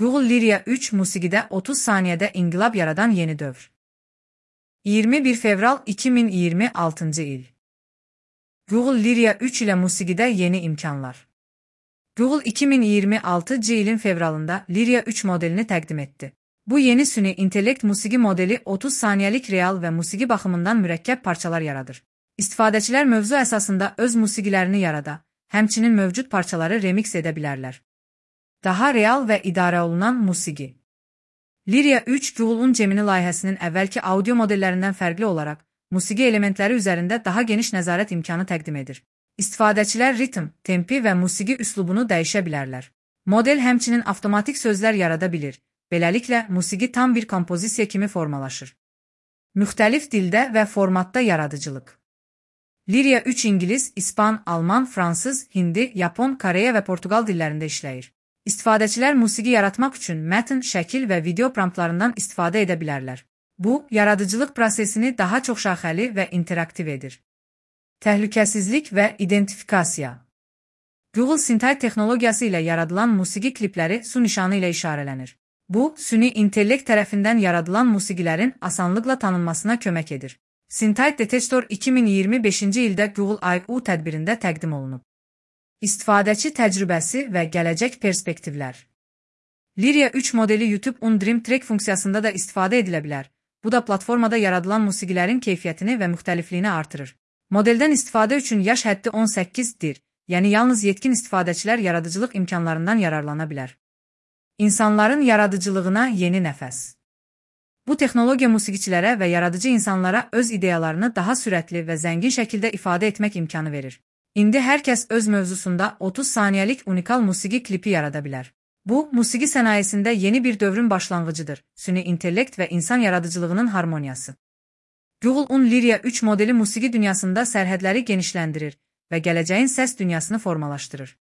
Google Lyria 3 musiqide 30 saniyədə inqilab yaradan yeni dövr. 21 fevral 2026 il. Google Lyria 3 ilə musiqide yeni imkanlar. Google 2026 ilin fevralında Lyria 3 modelini təqdim etdi. Bu yeni süni intellekt musiqi modeli 30 saniyəlik real və musiqi baxımından mürəkkəb parçalar yaradır. İstifadəçilər mövzu əsasında öz musiqilərini yarada, həmçinin mövcud parçaları remix edə bilərlər. Daha real və idarə olunan musiqi. Lyria 3 Google'un Gemini layihəsinin əvvəlki audio modellərindən fərqli olaraq, musiqi elementləri üzərində daha geniş nəzarət imkanı təqdim edir. İstifadəçilər ritm, tempi və musiqi üslubunu dəyişə bilərlər. Model həmçinin avtomatik sözlər yarada bilir. Beləliklə, musiqi tam bir kompozisiya kimi formalaşır. Müxtəlif dildə və formatda yaradıcılıq. Lyria 3 İngilis, İspan, Alman, Fransız, Hindi, Yapon, Koreya və Portugal dillərində işləyir. İstifadəçilər musiqi yaratmaq üçün mətn, şəkil və video promptlarından istifadə edə bilərlər. Bu, yaradıcılıq prosesini daha çox şaxəli və interaktiv edir. Təhlükəsizlik və identifikasiya. Google Syntax texnologiyası ilə yaradılan musiqi klipləri su nişanı ilə işarələnir. Bu, süni intellekt tərəfindən yaradılan musiqilərin asanlıqla tanınmasına kömək edir. Syntax Detector 2025-ci ildə Google I.O. tədbirində təqdim olunub. İstifadəçi təcrübəsi və gələcək perspektivlər. Lyria 3 modeli YouTube On Dream Track funksiyasında da istifadə edilə bilər. Bu da platformada yaradılan musiqilərin keyfiyyətini və müxtəlifliyini artırır. Modeldən istifadə üçün yaş həddi 18-dir, yəni yalnız yetkin istifadəçilər yaradıcılıq imkanlarından yararlana bilər. İnsanların yaradıcılığına yeni nəfəs. Bu texnologiya musiqiçilərə və yaradıcı insanlara öz ideyalarını daha sürətli və zəngin şəkildə ifadə etmək imkanı verir. İndi hər kəs öz mövzusunda 30 saniyəlik unikal musiqi klipi yarada bilər. Bu, musiqi sənayesində yeni bir dövrün başlanğıcıdır, süni intellekt və insan yaradıcılığının harmoniyası. Google'un Lyria 3 modeli musiqi dünyasında sərhədləri genişləndirir və gələcəyin səs dünyasını formalaşdırır.